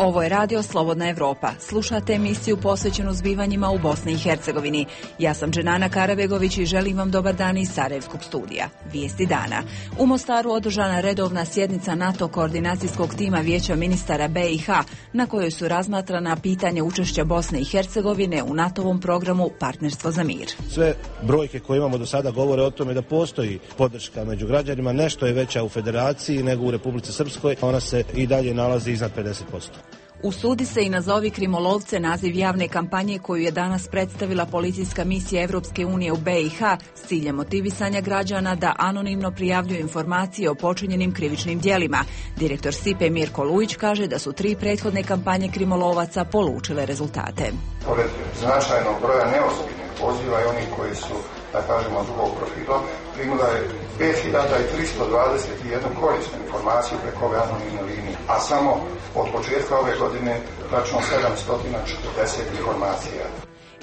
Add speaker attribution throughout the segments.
Speaker 1: Ovo je radio Slobodna Evropa. Slušate emisiju posvećenu zbivanjima u Bosni i Hercegovini. Ja sam Dženana Karabegović i želim vam dobar dan iz Sarajevskog studija. Vijesti dana. U Mostaru održana redovna sjednica NATO koordinacijskog tima Vijeća ministara BiH, na kojoj su razmatrana pitanja učešća Bosne i Hercegovine u NATO-ovom programu Partnerstvo za mir.
Speaker 2: Sve brojke koje imamo do sada govore o tome da postoji podrška među građanima, nešto je veća u Federaciji nego u Republici Srpskoj, ona se i dalje nalazi iznad 50%.
Speaker 1: Usudi se i nazovi krimolovce naziv javne kampanje koju je danas predstavila policijska misija Evropske unije u BiH s ciljem motivisanja građana da anonimno prijavljuju informacije o počinjenim krivičnim djelima. Direktor SIPE Mirko Lujić kaže da su 3 prethodne kampanje krimolovaca polučile rezultate.
Speaker 3: Pored značajnog broja neozbiljnih poziva i onih koji su, da kažemo, drugog profila, primila je 5321 korisnu informaciju preko ove anonimne linije, a samo od početka ove godine tačno 740 informacija.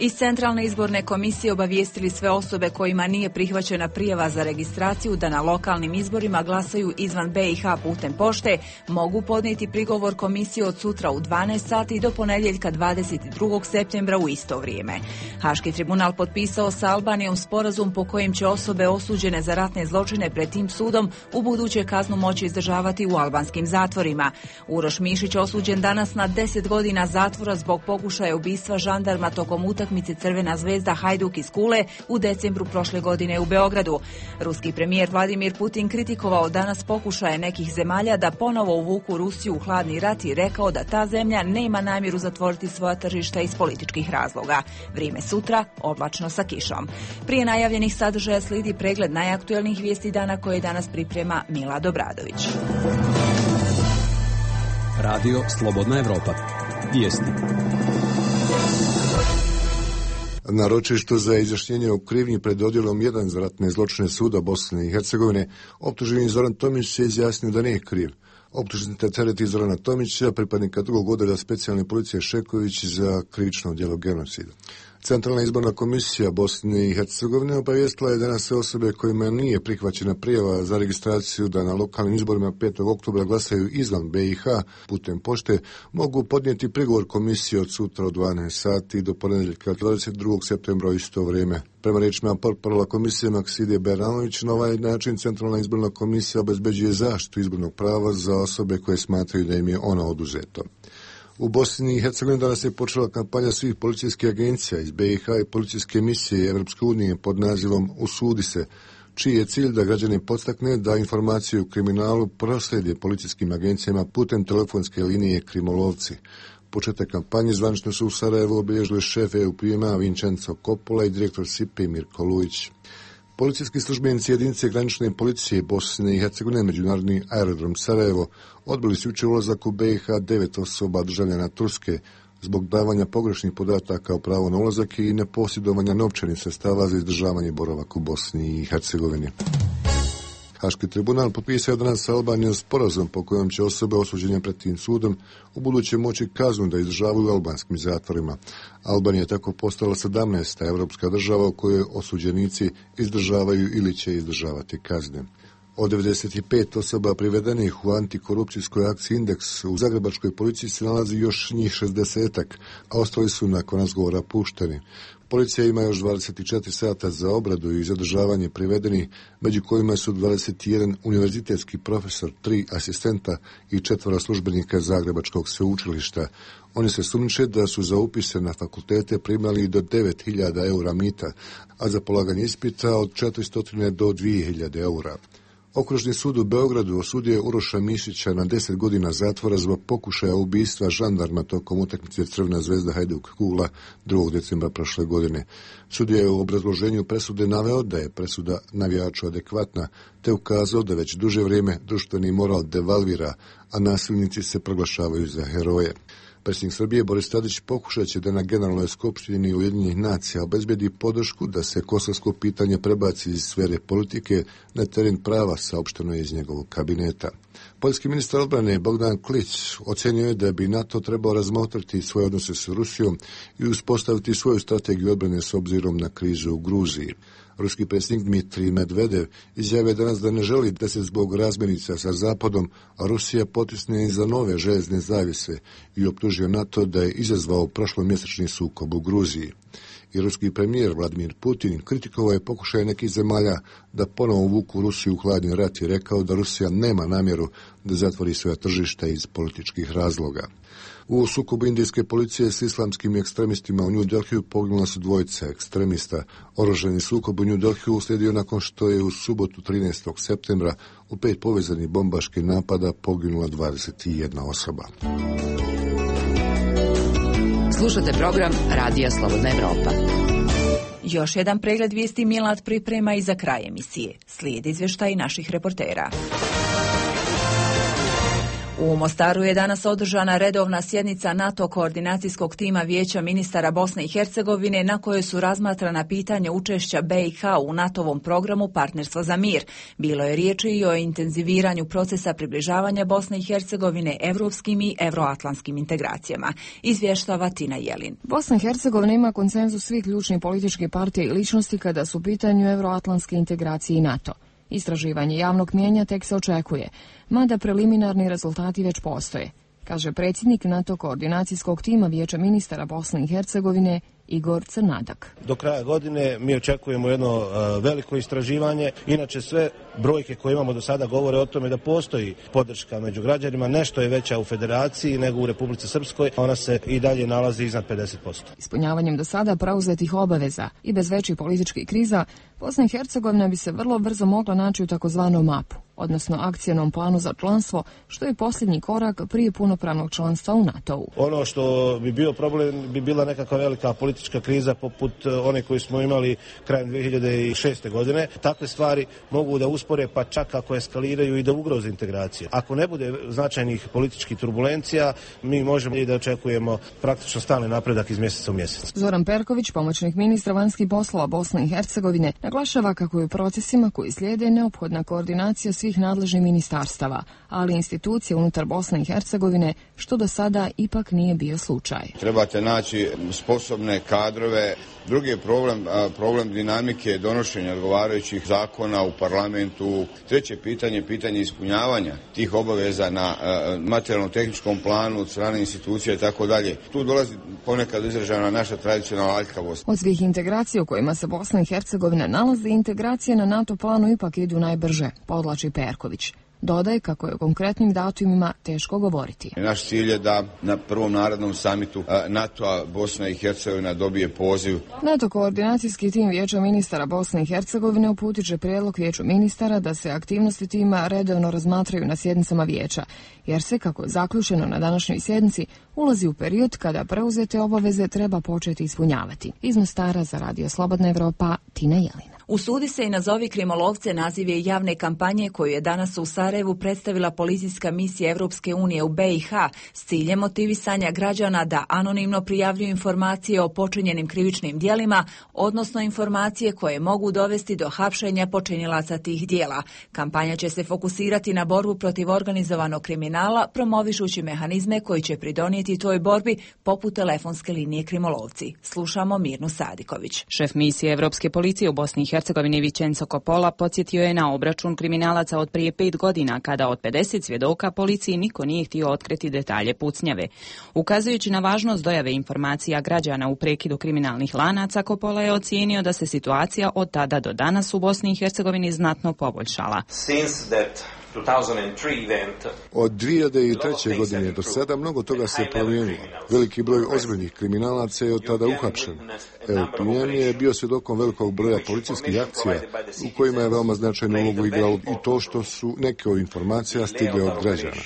Speaker 1: Iz Centralne izborne komisije obavijestili sve osobe kojima nije prihvaćena prijava za registraciju da na lokalnim izborima glasaju izvan BiH putem pošte, mogu podnijeti prigovor komisije od sutra u 12 sati do ponedjeljka 22. septembra u isto vrijeme. Haški tribunal potpisao sa Albanijom sporazum po kojem će osobe osuđene za ratne zločine pred tim sudom u buduće kaznu moći izdržavati u albanskim zatvorima. Uroš Mišić osuđen danas na 10 godina zatvora zbog pokušaja ubistva žandarma tokom utakmice Crvena zvezda Hajduk iz Kule u decembru prošle godine u Beogradu. Ruski premijer Vladimir Putin kritikovao danas pokušaje nekih zemalja da ponovo uvuku Rusiju u hladni rat i rekao da ta zemlja nema namjeru zatvoriti svoja tržišta iz političkih razloga. Vrijeme sutra oblačno sa kišom. Prije najavljenih sadržaja slijedi pregled najaktuelnijih vijesti dana koje danas priprema Milad Obradović.
Speaker 4: Radio Slobodna Evropa. Vijesti.
Speaker 5: Na ročištu za izjašnjenje o krivnji pred odjelom 1 za ratne zločine suda Bosne i Hercegovine, optuženi Zoran Tomić se izjasnio da nije kriv. Optužnica tereti Zorana Tomića, pripadnika 2. odjelja specijalne policije Šeković za krivično djelo genocida. Centralna izborna komisija Bosne i Hercegovine obavijestila je danas sve osobe kojima nije prihvaćena prijava za registraciju da na lokalnim izborima 5. oktobra glasaju izvan BiH putem pošte, mogu podnijeti prigovor komisije od sutra od 12 sati do ponedjeljka 22. septembra u isto vrijeme. Prema riječima portparala komisije Makside Beranović, na ovaj način Centralna izborna komisija obezbeđuje zaštitu izbornog prava za osobe koje smatraju da im je ono oduzeto. U Bosni i Hercegovini danas je počela kampanja svih policijskih agencija iz BiH i policijske misije Evropske unije pod nazivom Usudi se, čiji je cilj da građane podstakne da informaciju o kriminalu proslijede policijskim agencijama putem telefonske linije Krimolovci. Početak kampanje zvanično su u Sarajevu obilježili šef EUPM-a Vincenzo Coppola i direktor SIPE Mirko Lujić. Policijski službenici jedinice granične policije Bosne i Hercegovine, međunarodni aerodrom Sarajevo, odbili su jučer ulazak u BiH 9 osoba državljana Turske zbog davanja pogrešnih podataka o pravu na ulazak i neposjedovanja novčanih sredstava za izdržavanje boravaka u Bosni i Hercegovini. Haški tribunal potpisao danas sa Albanijom sporazum po kojem će osobe osuđene pred tim sudom u buduće moći kaznu da izdržavaju u albanskim zatvorima. Albanija je tako postala 17. evropska država u kojoj osuđenici izdržavaju ili će izdržavati kazne. Od 95 osoba privedenih u antikorupcijskoj akciji Indeks u zagrebačkoj policiji se nalazi još njih 60-ak, a ostali su nakon razgovora pušteni. Policija ima još 24 sata za obradu i zadržavanje privedenih, među kojima su 21 univerzitetski profesor, 3 asistenta i 4 službenika Zagrebačkog sveučilišta. Oni se sumnjiče da su za upise na fakultete primali do 9.000 eura mita, a za polaganje ispita od 400 do 2.000 eura. Okružni sud u Beogradu osudio je Uroša Mišića na 10 godina zatvora zbog pokušaja ubistva žandarma tokom utakmice Crvena zvezda Hajduk Kula 2. decembra prošle godine. Sudija je u obrazloženju presude naveo da je presuda navijaču adekvatna, te ukazao da već duže vrijeme društveni moral devalvira, a nasilnici se proglašavaju za heroje. Predsjednik Srbije Boris Tadić pokušat će da na Generalnoj skupštini Ujedinjenih nacija obezbedi podršku da se kosovsko pitanje prebaci iz sfere politike na teren prava, saopšteno je iz njegovog kabineta. Poljski ministar odbrane Bogdan Klić ocenio je da bi NATO trebao razmotriti svoje odnose s Rusijom i uspostaviti svoju strategiju odbrane s obzirom na krizu u Gruziji. Ruski predsjednik Dmitrij Medvedev izjavio danas da ne želi da se zbog razmirica sa Zapadom Rusija potisne iza nove željezne zavjese i optužio NATO da je izazvao prošlomjesečni sukob u Gruziji. I ruski premijer Vladimir Putin kritikovao je pokušaj nekih zemalja da ponovo uvuku Rusiju u hladni rat i rekao da Rusija nema namjeru da zatvori svoja tržišta iz političkih razloga. U sukobu indijske policije s islamskim ekstremistima u New Delhiju poginula su dvojica ekstremista. Oružani sukob u New Delhiju uslijedio nakon što je u subotu 13. septembra u 5 povezanih bombaških napada poginula 21 osoba.
Speaker 6: Slušate program Radija Slobodna Evropa.
Speaker 1: Još jedan pregled vijesti Milad priprema i za kraj emisije. Slijedi izvještaj naših reportera. U Mostaru je danas održana redovna sjednica NATO koordinacijskog tima Vijeća ministara Bosne i Hercegovine na kojoj su razmatrana pitanja učešća BiH u NATO-vom programu Partnerstvo za mir. Bilo je riječi i o intenziviranju procesa približavanja Bosne i Hercegovine evropskim i evroatlantskim integracijama. Izvještava Tina Jelin.
Speaker 7: Bosna i Hercegovina ima konsenzus svih ključnih političkih partija i ličnosti kada su u pitanju evroatlantske integracije i NATO. Istraživanje javnog mijenja tek se očekuje, mada preliminarni rezultati već postoje, kaže predsjednik NATO koordinacijskog tima Vijeća ministara Bosne i Hercegovine Igor Crnadak.
Speaker 2: Do kraja godine mi očekujemo jedno veliko istraživanje. Inače sve brojke koje imamo do sada govore o tome da postoji podrška među građanima. Nešto je veća u Federaciji nego u Republici Srpskoj. Ona se i dalje nalazi iznad 50%.
Speaker 7: Ispunjavanjem do sada preuzetih obaveza i bez većih političkih kriza, Bosna i Hercegovina bi se vrlo brzo mogla naći u takozvanom mapu, odnosno akcijnom planu za članstvo, što je posljednji korak prije punopravnog članstva u NATO-u.
Speaker 2: Ono što bi bio problem bi bila nekakva velika politička kriza poput one koju smo imali krajem 2006. godine. Takve stvari mogu da uspore, pa čak ako eskaliraju i da ugroze integraciju. Ako ne bude značajnih političkih turbulencija, mi možemo i da očekujemo praktično stalni napredak iz mjeseca u mjesec.
Speaker 7: Zoran Perković, pomoćnik ministra vanjskih poslova Bosne i Hercegovine, naglašava kako je u procesima koji slijede neophodna koordinacija svih nadležnih ministarstava, ali institucije unutar Bosne i Hercegovine, što do sada ipak nije bio slučaj.
Speaker 8: Trebate naći sposobne kadrove. Drugi je problem dinamike donošenja odgovarajućih zakona u parlamentu. Treće pitanje ispunjavanja tih obaveza na materijalno-tehničkom planu od strane institucija i tako dalje. Tu dolazi ponekad izražena naša tradicionalna aljkavost.
Speaker 7: Od svih integracija u kojima se Bosna i Hercegovina nalazi, integracije na NATO planu ipak idu najbrže, podvlači Perković. Dodaje kako je o konkretnim datumima teško govoriti.
Speaker 8: Naš cilj je da na prvom narodnom samitu NATO-a Bosna i Hercegovina dobije poziv.
Speaker 7: NATO koordinacijski tim Vijeća ministara Bosne i Hercegovine uputit će prijedlog Vijeću ministara da se aktivnosti tima redovno razmatraju na sjednicama Vijeća, jer se, kako je zaključeno na današnjoj sjednici, ulazi u period kada preuzete obaveze treba početi ispunjavati. Iz Mostara za Radio Slobodna Evropa, Tina Jelina.
Speaker 1: Usudi se i nazovi krimolovce naziv je javne kampanje koju je danas u Sarajevu predstavila policijska misija Evropske unije u BiH s ciljem motivisanja građana da anonimno prijavljuju informacije o počinjenim krivičnim djelima, odnosno informacije koje mogu dovesti do hapšenja počinilaca tih djela. Kampanja će se fokusirati na borbu protiv organizovanog kriminala, promovišući mehanizme koji će pridonijeti toj borbi poput telefonske linije krimolovci. Slušamo Mirnu Sadiković.
Speaker 6: Šef misije Evropske policije u Bosni i Hercegovini Vicenzo Coppola podsjetio je na obračun kriminalaca od prije 5 godina, kada od 50 svjedoka policiji niko nije htio otkriti detalje pucnjave. Ukazujući na važnost dojave informacija građana u prekidu kriminalnih lanaca, Coppola je ocijenio da se situacija od tada do danas u Bosni i Hercegovini znatno poboljšala.
Speaker 5: Od 2003. godine do sada mnogo toga se promijenilo. Veliki broj ozbiljnih kriminalaca je od tada uhapšen. LPN je bio svjedokom velikog broja policijskih akcija u kojima je veoma značajnu ulogu igralo i to što su neke od informacija stigle od građana.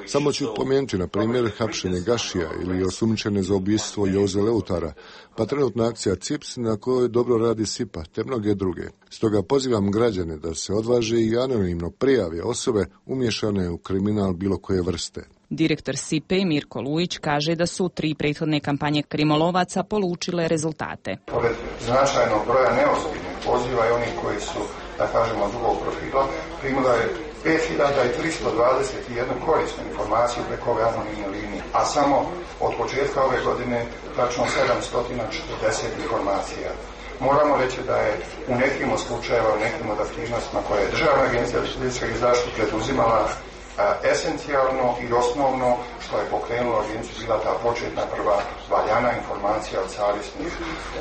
Speaker 5: Samo ću pomenuti, na primjer, hapšenje Gašija ili osumnjičene za ubojstvo Joze Leutara, pa trenutna akcija CIPS na kojoj dobro radi SIPA, te mnoge druge. Stoga pozivam građane da se odvaže i anonimno prijave osobe umješane u kriminal bilo koje vrste.
Speaker 6: Direktor SIPE Mirko Lujić kaže da su 3 prethodne kampanje krimolovaca polučile rezultate.
Speaker 3: Pored značajnog broja neozbiljnih poziva i onih koji su, da kažemo, drugog profila, primila je 5321 korisnu informaciju preko ove anonimne linije, a samo od početka ove godine tačno 740 informacija. Moramo reći da je u nekim od slučajeva, u nekim od aktivnostima koje je Državna agencija za zaštitu preduzimala esencijalno i osnovno što je pokrenulo agenciju bila ta početna prva valjana informacija od savjesnih,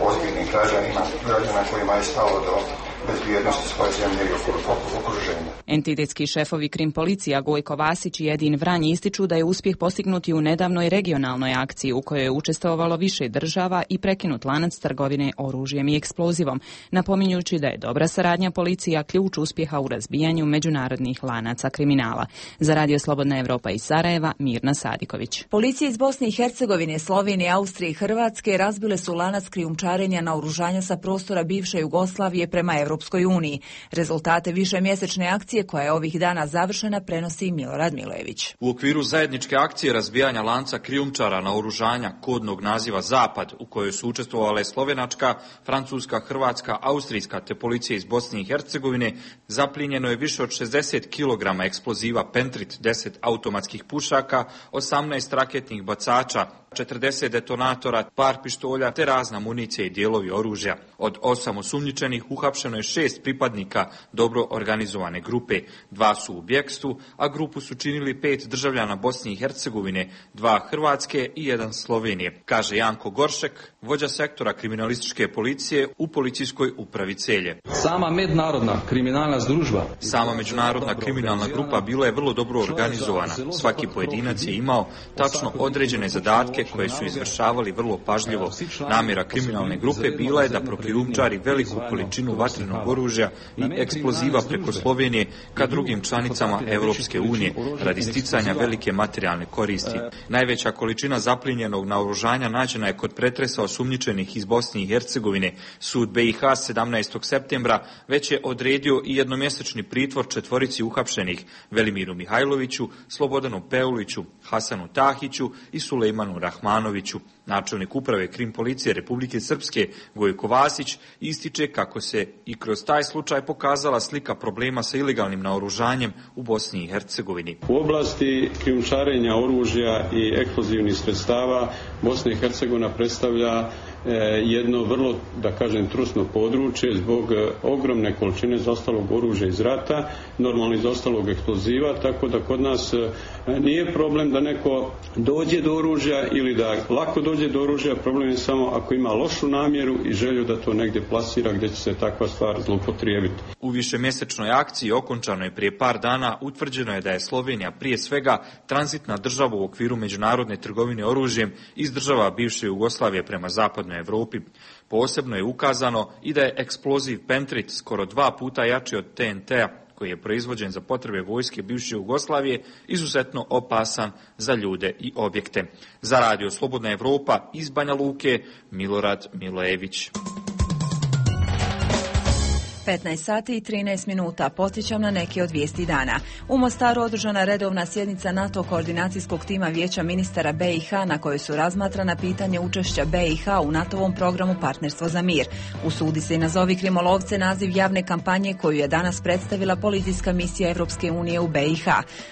Speaker 3: ozbiljnih građana kojima je stalo do bezbjednosti svoje zemlje i okruženja.
Speaker 6: Entitetski šefovi Krim policija Gojko Vasić i Edin Vranj ističu da je uspjeh postignut u nedavnoj regionalnoj akciji u kojoj je učestvovalo više država i prekinut lanac trgovine oružjem i eksplozivom, napominjući da je dobra saradnja policija ključ uspjeha u razbijanju međunarodnih lanaca kriminala. Za Radio Slobodna Evropa iz Sarajeva, Mirna Sadiković.
Speaker 1: Policije iz Bosne i Hercegovine, Slovenije, Austrije i Hrvatske razbile su lanac krijumčarenja naoružanja sa prostora bivše Jugoslavije prema Europskoj uniji. Rezultate višemjesečne akcije koja je ovih dana završena prenosi Milorad Milojević.
Speaker 9: U okviru zajedničke akcije razbijanja lanca krijumčara naoružanja kodnog naziva Zapad, u kojoj su učestvovale slovenačka, francuska, hrvatska, austrijska te policija iz Bosne i Hercegovine, zaplijenjeno je više od 60 kg eksploziva Pentrit, 10 automatskih pušaka, 18 raketnih bacača, 40 detonatora, par pištolja te razna municija i dijelovi oružja. Od 8 osumnjičenih uhapšeno je 6 pripadnika dobro organizovane grupe. 2 su u bjekstvu, a grupu su činili 5 državljana Bosne i Hercegovine, 2 Hrvatske i 1 Slovenije, kaže Janko Goršek, vođa sektora kriminalističke policije u policijskoj upravi Celje.
Speaker 10: Sama
Speaker 9: međunarodna kriminalna grupa bila je vrlo dobro organizovana. Svaki pojedinac je imao tačno određene zadatke koje su izvršavali vrlo pažljivo. Namjera kriminalne grupe bila je da prokrijumčari veliku količinu vatrenog oružja i eksploziva preko Slovenije ka drugim članicama Europske unije radi sticanja velike materijalne koristi. Najveća količina zaplijenjenog naoružanja nađena je kod pretresa osumnjičenih iz Bosne i Hercegovine. Sud BiH 17. septembra već je odredio i jednomjesečni pritvor 4 uhapšenih: Velimiru Mihajloviću, Slobodanu Peuliću, Hasanu Tahiću i Sulejmanu Rahmanoviću. Načelnik uprave Krim policije Republike Srpske Gojko Vasić ističe kako se i kroz taj slučaj pokazala slika problema sa ilegalnim naoružanjem u Bosni i Hercegovini.
Speaker 10: U oblasti krijumčarenja oružja i eksplozivnih sredstava Bosna i Hercegovina predstavlja jedno vrlo, da kažem, trusno područje zbog ogromne količine zaostalog oružja iz rata, normalno iz ostalog eksploziva, tako da kod nas nije problem da neko dođe do oružja ili da lako dođe do oružja, problem je samo ako ima lošu namjeru i želju da to negdje plasira gdje će se takva stvar zloupotrijebiti.
Speaker 9: U višemjesečnoj akciji okončanoj prije par dana utvrđeno je da je Slovenija prije svega tranzitna država u okviru međunarodne trgovine oružjem iz država bivše Jugoslavije prema zapadnoj Evropi. Posebno je ukazano i da je eksploziv Pentrit skoro 2 puta jači od TNT-a, koji je proizvođen za potrebe vojske bivše Jugoslavije, izuzetno opasan za ljude i objekte. Za Radio Slobodna Evropa iz Banja Luke, Milorad Milojević.
Speaker 1: 15 sati i 13 minuta. Podsjećam na neke od vijesti dana. U Mostaru održana redovna sjednica NATO koordinacijskog tima Vijeća ministara BiH na kojoj su razmatrana pitanje učešća BiH u NATO-ovom programu Partnerstvo za mir. Usudi se i nazovi krimolovce naziv javne kampanje koju je danas predstavila policijska misija Europske unije u BiH.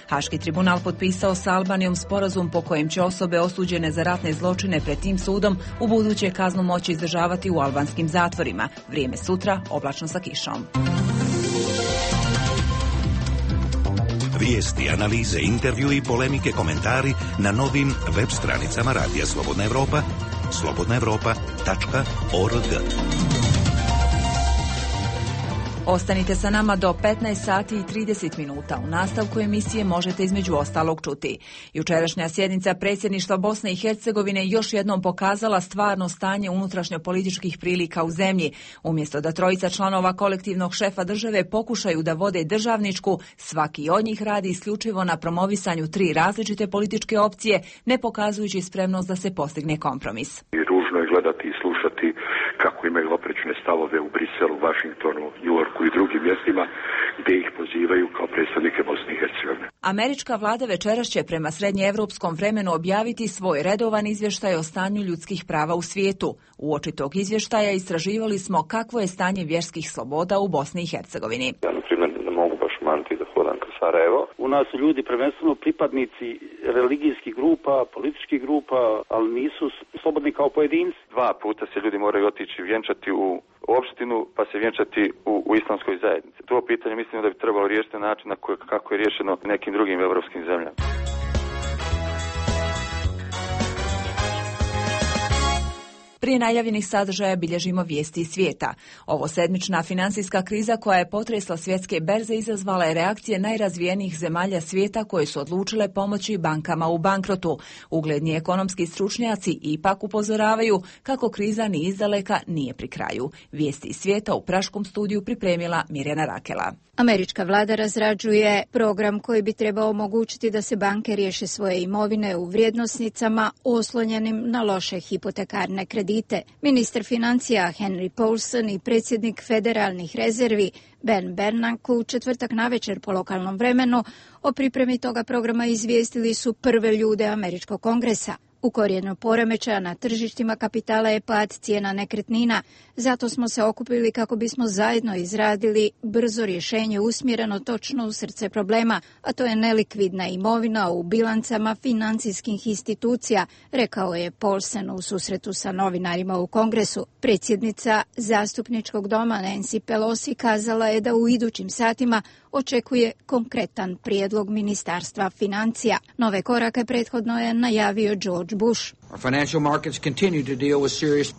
Speaker 1: Haški tribunal potpisao sa Albanijom sporazum po kojem će osobe osuđene za ratne zločine pred tim sudom u buduće kaznu moći izdržavati u albanskim zatvorima. Vrijeme sutra, oblačno sa kišom.
Speaker 11: Vijesti, analize, intervju i polemike, komentari na novim web stranicama Radija Slobodna Evropa, slobodnaevropa.org.
Speaker 1: Ostanite sa nama do 15 sati i 30 minuta. U nastavku emisije možete između ostalog čuti. Jučerašnja sjednica predsjedništva Bosne i Hercegovine još jednom pokazala stvarno stanje unutrašnjopolitičkih prilika u zemlji. Umjesto da trojica članova kolektivnog šefa države pokušaju da vode državničku, svaki od njih radi isključivo na promovisanju 3 različite političke opcije, ne pokazujući spremnost da se postigne kompromis.
Speaker 12: Ružno je gledati i slušati kako imaju oprečne stavove u Briselu, Vašingtonu, Njujorku i drugim mjestima gdje ih pozivaju kao predstavnike Bosne i Hercegovine.
Speaker 1: Američka vlada večeras će prema srednjeevropskom vremenu objaviti svoj redovan izvještaj o stanju ljudskih prava u svijetu. Uoči tog izvještaja istraživali smo kakvo je stanje vjerskih sloboda u Bosni i Hercegovini.
Speaker 13: Ja, na primjer, ne mogu baš maniti da hodam kroz Sarajevo. U nas su ljudi prvenstveno pripadnici religijskih grupa, političkih grupa, ali nisu slobodni kao pojedinci.
Speaker 14: 2 puta se ljudi moraju otići vjenčati u
Speaker 13: opštinu pa se vjenčati u islamskoj zajednici. To pitanje mislim da bi trebalo riješiti na način kako je riješeno nekim drugim evropskim zemljama.
Speaker 1: Prije najavljenih sadržaja bilježimo vijesti iz svijeta. Ovo sedmična financijska kriza koja je potresla svjetske berze izazvala je reakcije najrazvijenijih zemalja svijeta koje su odlučile pomoći bankama u bankrotu. Ugledni ekonomski stručnjaci ipak upozoravaju kako kriza ni izdaleka nije pri kraju. Vijesti iz svijeta u Praškom studiju pripremila Mirjana Rakela.
Speaker 14: Američka vlada razrađuje program koji bi trebao omogućiti da se banke riješe svoje imovine u vrijednosnicama oslonjenim na loše hipotekarne kredite. Ministar financija Henry Paulson i predsjednik federalnih rezervi Ben Bernanke u četvrtak navečer po lokalnom vremenu o pripremi toga programa izvijestili su prve ljude Američkog kongresa. U korijenu poremećaja na tržištima kapitala je pad cijena nekretnina, zato smo se okupili kako bismo zajedno izradili brzo rješenje usmjereno točno u srce problema, a to je nelikvidna imovina u bilancama financijskih institucija, rekao je Paulsen u susretu sa novinarima u Kongresu. Predsjednica zastupničkog doma Nancy Pelosi kazala je da u idućim satima očekuje konkretan prijedlog Ministarstva financija. Nove korake prethodno je najavio George Bush.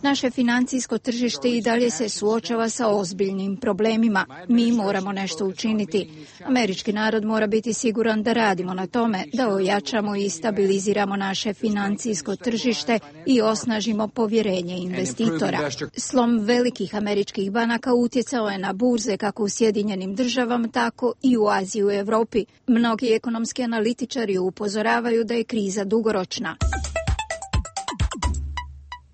Speaker 14: Naše financijsko tržište i dalje se suočava sa ozbiljnim problemima. Mi moramo nešto učiniti. Američki narod mora biti siguran da radimo na tome, da ojačamo i stabiliziramo naše financijsko tržište i osnažimo povjerenje investitora. Slom velikih američkih banaka utjecao je na burze kako u Sjedinjenim državama, tako i u Aziji i u Europi. Mnogi ekonomski analitičari upozoravaju da je kriza dugoročna.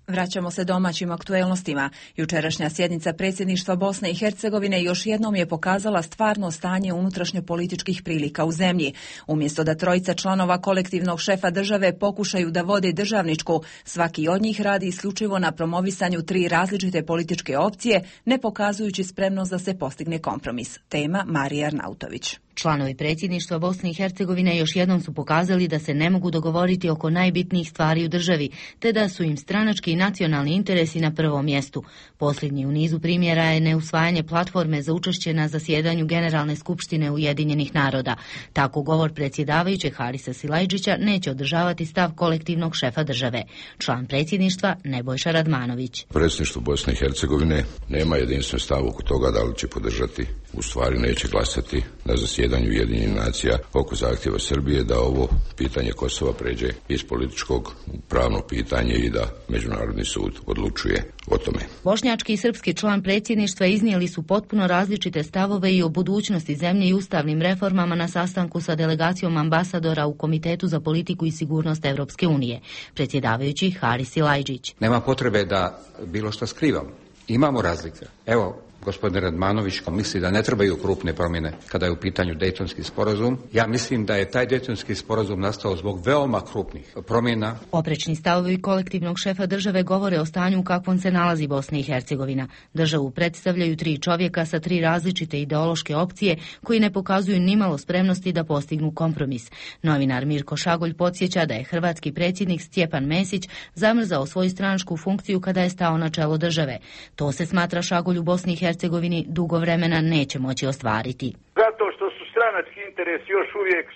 Speaker 1: Vraćamo se domaćim aktuelnostima. Jučerašnja sjednica predsjedništva Bosne i Hercegovine još jednom je pokazala stvarno stanje unutrašnjopolitičkih prilika u zemlji. Umjesto da trojica članova kolektivnog šefa države pokušaju da vode državničku, svaki od njih radi isključivo na promovisanju tri različite političke opcije, ne pokazujući spremnost da se postigne kompromis. Tema Marija Arnautović.
Speaker 15: Članovi predsjedništva Bosne i Hercegovine još jednom su pokazali da se ne mogu dogovoriti oko najbitnijih stvari u državi, te da su im stranački i nacionalni interesi na prvom mjestu. Posljednji u nizu primjera je neusvajanje platforme za učešće na zasjedanju Generalne skupštine Ujedinjenih naroda. Tako govor predsjedavajućeg Harisa Silajdžića neće održavati stav kolektivnog šefa države. Član predsjedništva Nebojša Radmanović.
Speaker 16: Predsjedništvo Bosne i Hercegovine nema jedinstven stav oko toga da li će podržati, u stvari neće glasati na zasjedanju Ujedinjenih nacija oko zahtjeva Srbije da ovo pitanje Kosova pređe iz političkog u pravno pitanje i da Međunarodni sud odlučuje o tome.
Speaker 15: Bošnjački i srpski član predsjedništva iznijeli su potpuno različite stavove i o budućnosti zemlje i ustavnim reformama na sastanku sa delegacijom ambasadora u Komitetu za politiku i sigurnost Evropske unije. Predsjedavajući Haris Silajdžić.
Speaker 17: Nema potrebe da bilo što skrivamo. Imamo razlike. Evo, gospodin Radmanović misli da ne trebaju krupne promjene kada je u pitanju Dejtonski sporazum. Ja mislim da je taj Dejtonski sporazum nastao zbog veoma krupnih promjena.
Speaker 15: Oprečni stavovi kolektivnog šefa države govore o stanju u kakvom se nalazi Bosna i Hercegovina. Državu predstavljaju tri čovjeka sa tri različite ideološke opcije koji ne pokazuju nimalo spremnosti da postignu kompromis. Novinar Mirko Šagolj podsjeća da je hrvatski predsjednik Stjepan Mesić zamrzao svoju stranačku funkciju kada je stao na čelo države. To se smatra Šagolj u Bosni i Hercegovini dugo vremena neće moći ostvariti.
Speaker 18: Zato što su stranački interesi još uvijek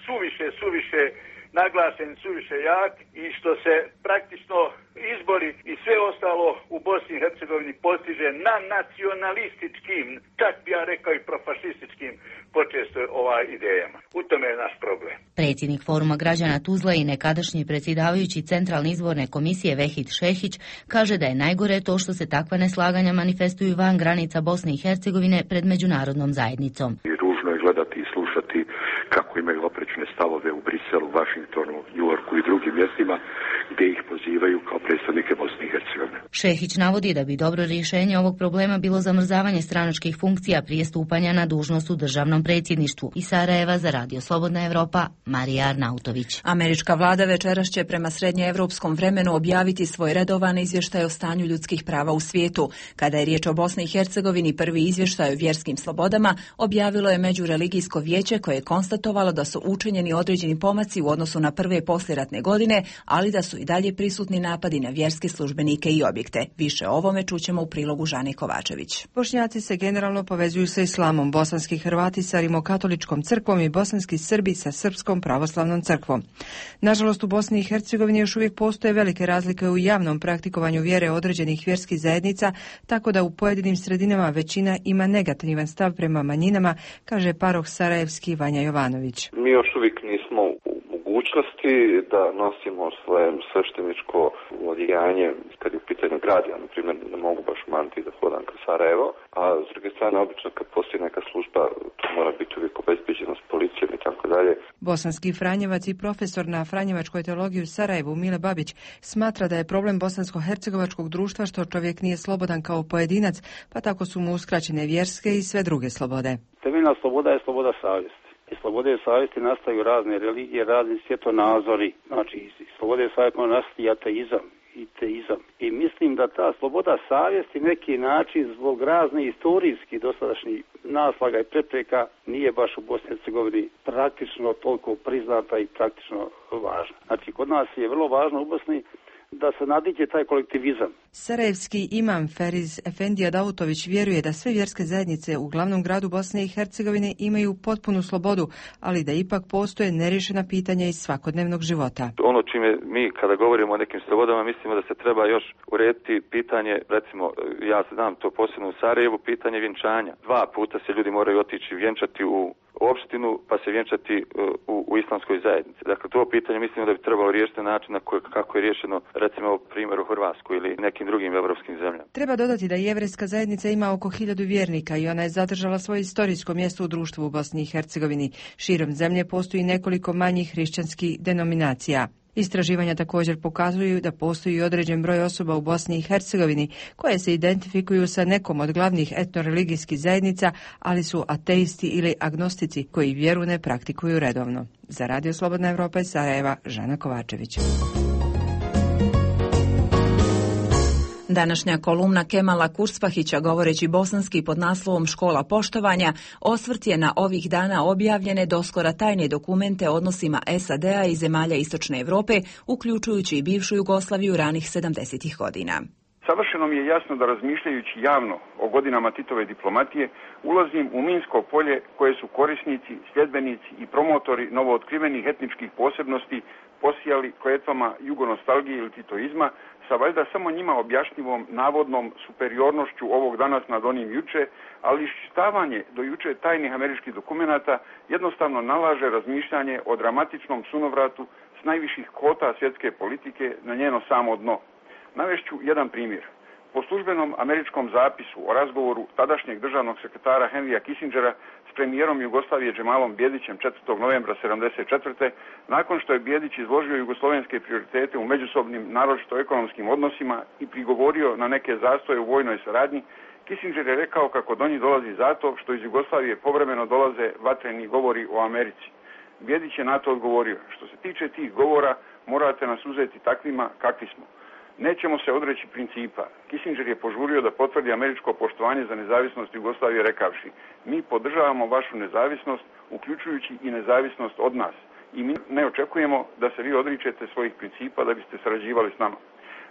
Speaker 18: suviše naglašeni, suviše jak i što se praktično izbori i sve ostalo u Bosni i Hercegovini postiže na nacionalističkim, čak bi ja rekao i profašističkim počesto idejama. U tome je naš problem.
Speaker 15: Predsjednik Foruma građana Tuzla i nekadašnji predsjedavajući Centralne izborne komisije Vehid Šehić kaže da je najgore to što se takva neslaganja manifestuju van granica Bosne i Hercegovine pred međunarodnom zajednicom.
Speaker 12: Ružno je gledati i slušati kako imaju oprečne stavove u Briselu, Vašingtonu, Njujorku i drugim mjestima gdje ih pozivaju kao predstavnike Bosne i Hercegovine.
Speaker 15: Šehić navodi da bi dobro rješenje ovog problema bilo zamrzavanje stranačkih funkcija prije stupanja na dužnost u državnom predsjedništvu. Iz Sarajeva za Radio Slobodna Evropa, Marija Arnautović.
Speaker 1: Američka vlada večeras će prema srednjeevropskom vremenu objaviti svoj redovan izvještaj o stanju ljudskih prava u svijetu. Kada je riječ o Bosni i Hercegovini, prvi izvještaj o vjerskim slobodama objavilo je Međureligijsko vijeće koje je konstatovalo da su učinjeni određeni pomaci u odnosu na prve poslijeratne godine, ali da su i dalje prisutni napadi na vjerske službenike i objekte. konflikte. Više o ovome čućemo u prilogu Žani Kovačević.
Speaker 19: Bošnjaci se generalno povezuju sa islamom, bosanski Hrvati sa Rimokatoličkom crkvom i bosanski Srbi sa Srpskom pravoslavnom crkvom. Nažalost, u Bosni i Hercegovini još uvijek postoje velike razlike u javnom praktikovanju vjere određenih vjerskih zajednica, tako da u pojedinim sredinama većina ima negativan stav prema manjinama, kaže paroh sarajevski Vanja Jovanović.
Speaker 20: Mi još uvijek nismo u mogućnosti da nosimo svoje svešteničko odijanje kad je u pitanju grad. Ja, na primjer, ne mogu baš maniti da hodam ka Sarajevo, a s druge strane, obično kad postoji neka služba, to mora biti uvijek obezbeđeno s policijom i tako dalje.
Speaker 19: Bosanski Franjevac i profesor na Franjevačkoj teologiji u Sarajevu Mile Babić smatra da je problem bosansko-hercegovačkog društva što čovjek nije slobodan kao pojedinac, pa tako su mu uskraćene vjerske i sve druge slobode.
Speaker 21: Temeljna sloboda je sloboda savjesti. Iz slobode savjesti nastaju razne religije, razni svjetonazori. Znači, iz slobode savjesti nastaje ateizam i teizam. I mislim da ta sloboda savjesti neki način zbog razne istorijskih dosadašnjih naslaga i prepreka nije baš u Bosni i Hercegovini praktično toliko priznata i praktično važna. Znači, kod nas je vrlo važno u Bosni da se nadiđe taj kolektivizam.
Speaker 19: Sarajevski imam Feriz Efendija Davutović vjeruje da sve vjerske zajednice u glavnom gradu Bosne i Hercegovine imaju potpunu slobodu, ali da ipak postoje nerješena pitanja iz svakodnevnog života.
Speaker 13: Ono čime mi kada govorimo o nekim slobodama mislimo da se treba još urediti pitanje, recimo ja znam to posebno u Sarajevu, pitanje vjenčanja. 2 puta se ljudi moraju otići vjenčati u opštinu pa se vjenčati u islamskoj zajednici. Dakle, to pitanje mislimo da bi trebalo riješiti na način kako je riješeno recimo primjer u Hrvatskoj ili nekim drugim evropskim zemljama.
Speaker 19: Treba dodati da jevrejska zajednica ima oko 1000 vjernika i ona je zadržala svoje istorijsko mjesto u društvu u Bosni i Hercegovini. Širom zemlje postoji nekoliko manjih hrišćanskih denominacija. Istraživanja također pokazuju da postoji određen broj osoba u Bosni i Hercegovini koje se identifikuju sa nekom od glavnih etnoreligijskih zajednica, ali su ateisti ili agnostici koji vjeru ne praktikuju redovno. Za Radio Slobodna Evropa iz Sarajeva, Žana Kovačević.
Speaker 1: Današnja kolumna Kemala Kurspahića, govoreći bosanski pod naslovom Škola poštovanja, osvrt je na ovih dana objavljene doskora tajne dokumente o odnosima SAD-a i zemalja Istočne Evrope, uključujući i bivšu Jugoslaviju ranih 70. godina.
Speaker 3: Savršeno mi je jasno da razmišljajući javno o godinama Titove diplomatije, ulazim u minsko polje koje su korisnici, sljedbenici i promotori novootkrivenih etničkih posebnosti posijali kletvama jugonostalgije ili titoizma, sa valjda samo njima objašnjivom navodnom superiornošću ovog danas nad onim juče, ali iščitavanje do juče tajnih američkih dokumenata jednostavno nalaže razmišljanje o dramatičnom sunovratu s najviših kota svjetske politike na njeno samo dno. Navešću jedan primjer. Po službenom američkom zapisu o razgovoru tadašnjeg državnog sekretara Henrya Kissingera s premijerom Jugoslavije Džemalom Bjedićem 4. novembra 1974. nakon što je Bjedić izložio jugoslovenske prioritete u međusobnim, naročito ekonomskim odnosima i prigovorio na neke zastoje u vojnoj saradnji, Kissinger je rekao kako do njih dolazi zato što iz Jugoslavije povremeno dolaze vatreni govori o Americi. Bjedić je na to odgovorio: što se tiče tih govora, morate nas uzeti takvima kakvi smo. Nećemo se odreći principa. Kissinger je požurio da potvrdi američko poštovanje za nezavisnost Jugoslavije rekavši: mi podržavamo vašu nezavisnost, uključujući i nezavisnost od nas. I mi ne očekujemo da se vi odričete svojih principa da biste sarađivali s nama.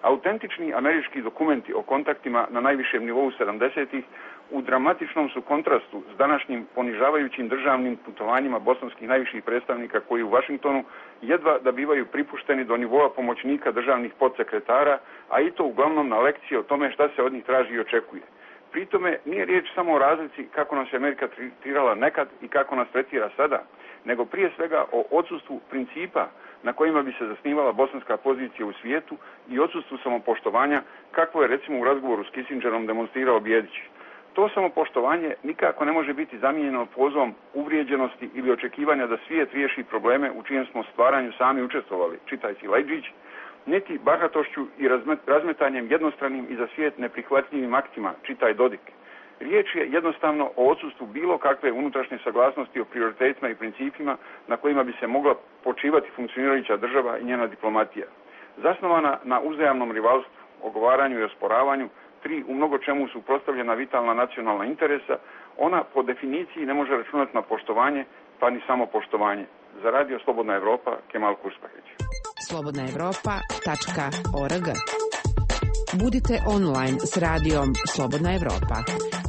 Speaker 3: Autentični američki dokumenti o kontaktima na najvišem nivou 70-ih u dramatičnom su kontrastu s današnjim ponižavajućim državnim putovanjima bosanskih najviših predstavnika koji u Vašingtonu jedva da bivaju pripušteni do nivoa pomoćnika državnih podsekretara, a i to uglavnom na lekcije o tome šta se od njih traži i očekuje. Pritome nije riječ samo o razlici kako nas je Amerika tretirala nekad i kako nas tretira sada, nego prije svega o odsustvu principa na kojima bi se zasnivala bosanska pozicija u svijetu i odsustvu samopoštovanja, kakvo je recimo u razgovoru s Kissingerom demonstrirao Bjedić. To samopoštovanje nikako ne može biti zamijenjeno pozivom uvrijeđenosti ili očekivanja da svijet riješi probleme u čijem smo stvaranju sami učestvovali, čitaj Silajdžić, niti bahatošću i razmetanjem jednostranim i za svijet neprihvatljivim aktima, čitaj Dodik. Riječ je jednostavno o odsustvu bilo kakve unutrašnje saglasnosti o prioritetima i principima na kojima bi se mogla počivati funkcionirajuća država i njena diplomatija. Zasnovana na uzajamnom rivalstvu, ogovaranju i osporavanju, 3 u mnogo čemu suprotstavljena vitalna nacionalna interesa, ona po definiciji ne može računati na poštovanje, pa ni samo poštovanje. Za Radio Slobodna Evropa, Kemal Kurspahić.
Speaker 22: slobodnaevropa.org
Speaker 4: Budite online s radijom Slobodna Evropa.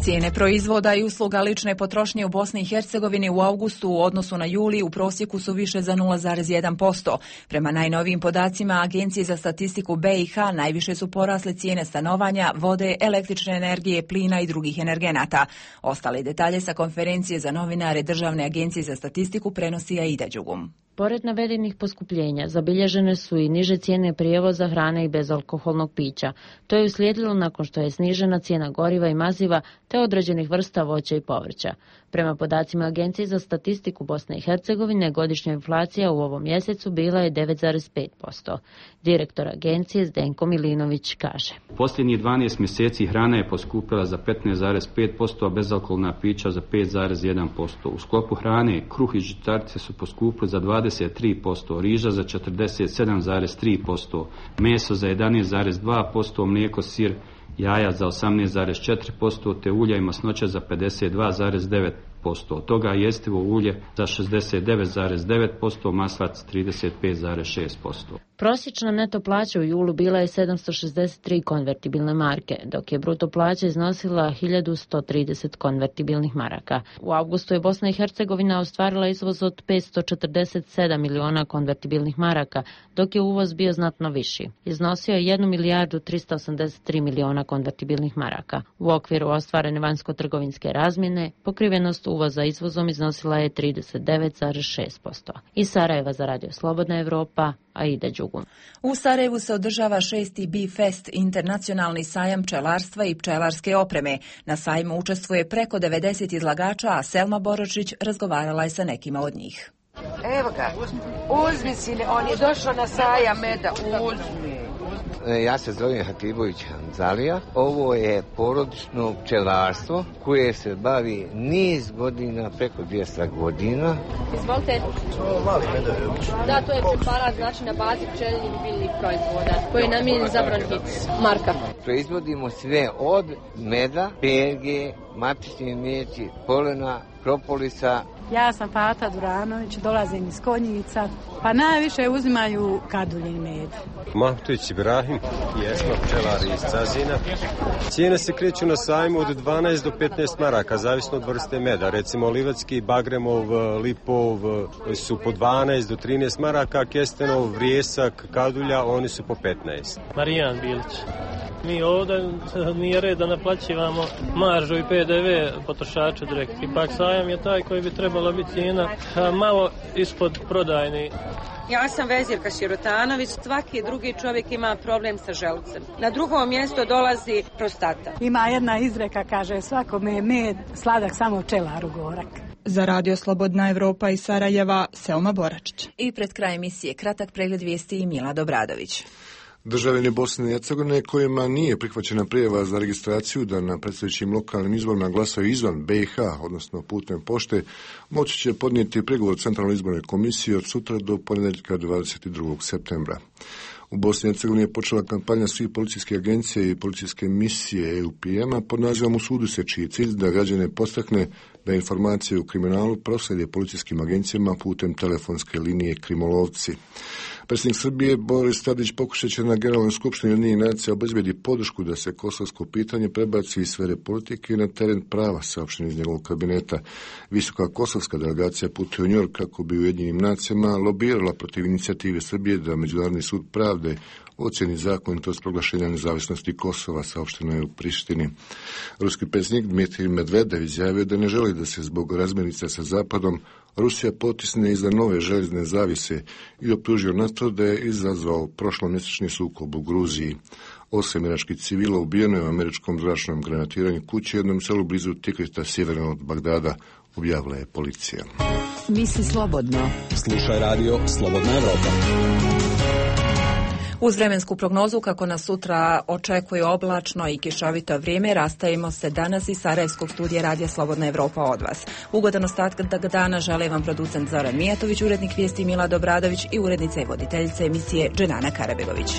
Speaker 1: Cijene proizvoda i usluga lične potrošnje u Bosni i Hercegovini u avgustu u odnosu na juli u prosjeku su više za 0,1%. Prema najnovijim podacima Agencije za statistiku BiH najviše su porasle cijene stanovanja, vode, električne energije, plina i drugih energenata. Ostale detalje sa konferencije za novinare Državne agencije za statistiku prenosi Aida Đugum.
Speaker 22: Pored navedenih poskupljenja, zabilježene su i niže cijene prijevoza, hrane i bezalkoholnog pića. To je uslijedilo nakon što je snižena cijena goriva i maziva te određenih vrsta voća i povrća. Prema podacima Agencije za statistiku Bosne i Hercegovine, godišnja inflacija u ovom mjesecu bila je 9,5%. Direktor agencije Zdenko Milinović kaže:
Speaker 23: Posljednjih 12 mjeseci hrana je poskupila za 15,5%, a bezalkoholna pića za 5,1%. U sklopu hrane kruh i žitarice su poskupili za 23%, riža za 47,3%, meso za 11,2%, mlijeko, sir, jaja za 18,4%, te ulja i masnoća za 52,9%. Od toga jestivo ulje za 69,9%, maslac 35,6%.
Speaker 22: Prosječna neto plaća u julu bila je 763 konvertibilne marke, dok je bruto plaća iznosila 1130 konvertibilnih maraka. U avgustu je Bosna i Hercegovina ostvarila izvoz od 547 miliona konvertibilnih maraka, dok je uvoz bio znatno viši. Iznosio je 1 milijardu 383 miliona konvertibilnih maraka. U okviru ostvarene vanjsko-trgovinske razmjene, pokrivenost uvoza izvozom iznosila je 39,6%. Iz Sarajeva za Radio Slobodna Evropa, Aida Đugum.
Speaker 1: U Sarajevu se održava 6. Bee-Fest, internacionalni sajam pčelarstva i pčelarske opreme. Na sajmu učestvuje preko 90 izlagača, a Selma Boročić razgovarala je sa nekima od njih.
Speaker 24: Evo ga, uzmi sine, on je došao na sajam meda, uzmi.
Speaker 25: Ja se zovem Hatibović Hanzalija. Ovo je porodično pčelarstvo koje se bavi niz godina, preko 200 godina.
Speaker 26: Izvolite. Da, to je preparat, znači na bazi pčelinjih biljnih proizvoda koji je namijenjen za bronhitis. Marka.
Speaker 25: Proizvodimo sve od meda, perge, matične meći, polena, propolisa.
Speaker 27: Ja sam Fata Duranović, dolazim iz Konjica, pa najviše uzimaju kaduljin med.
Speaker 28: Mahtuć Ibrahim, jesmo pčelari iz Cazina. Cijene se kreću na sajmu od 12 do 15 maraka, zavisno od vrste meda. Recimo Livatski, Bagremov, Lipov su po 12 do 13 maraka, Kestenov, Vrijesak, Kadulja, oni su po 15.
Speaker 29: Marijan Bilić. Mi ovdje nije red da naplaćivamo maržu i PDV potrošaču direkt. Ipak sajam je taj koji bi trebala biti cijena malo ispod prodajni.
Speaker 30: Ja sam Vezirka Širotanović, svaki drugi čovjek ima problem sa želucem. Na drugom mjestu dolazi prostata.
Speaker 27: Ima jedna izreka, kaže, svakome je med sladak, samo pčelaru gorak.
Speaker 31: Za Radio Slobodna Evropa iz Sarajeva, Selma Boračić.
Speaker 1: I pred kraj emisije kratak pregled vijesti i Mila Dobradović.
Speaker 5: Državljani Bosne i Hercegovine kojima nije prihvaćena prijava za registraciju da na predstojećim lokalnim izborima glasaju izvan BiH, odnosno putem pošte, moći će podnijeti prigovor Centralnoj izbornoj komisiji od sutra do ponedjeljka 22. septembra. U Bosni i Hercegovini je počela kampanja svih policijskih agencija i policijske misije EUPM-a pod nazivom U sudu se, čiji cilj da građane postakne da informacije o kriminalu proslijede policijskim agencijama putem telefonske linije Krimolovci. Predsjednik Srbije Boris Tadić pokušat će na Generalnoj skupštini Ujedinjenih nacija obezbijedi podršku da se kosovsko pitanje prebaci iz sfere politike na teren prava, saopšteno iz njegovog kabineta. Visoka kosovska delegacija putuje u Njujork kako bi Ujedinjenim nacijama lobirala protiv inicijative Srbije da Međunarodni sud pravde ocjeni zakonitost proglašenja nezavisnosti Kosova, saopšteno je u Prištini. Ruski predsjednik Dmitrij Medvedev izjavio da ne želi da se zbog razmirica sa Zapadom Rusija potisne iza nove željezne zavise i optužio NATO da je izazvao prošlomjesečni sukob u Gruziji. 8 iračkih civila ubijeno je u američkom zračnom granatiranju kući u jednom selu blizu Tikrita, sjeverno od Bagdada, objavila je policija.
Speaker 4: Misli slobodno.
Speaker 32: Slušaj radio Slobodna Evropa.
Speaker 1: Uz vremensku prognozu kako nas sutra očekuje oblačno i kišovito vrijeme, rastajemo se danas iz Sarajevskog studija Radija Slobodna Evropa od vas. Ugodan ostatak dana žele vam producent Zoran Mijatović, urednik vijesti Mila Dobradović i urednica i voditeljica emisije Dženana Karabegović.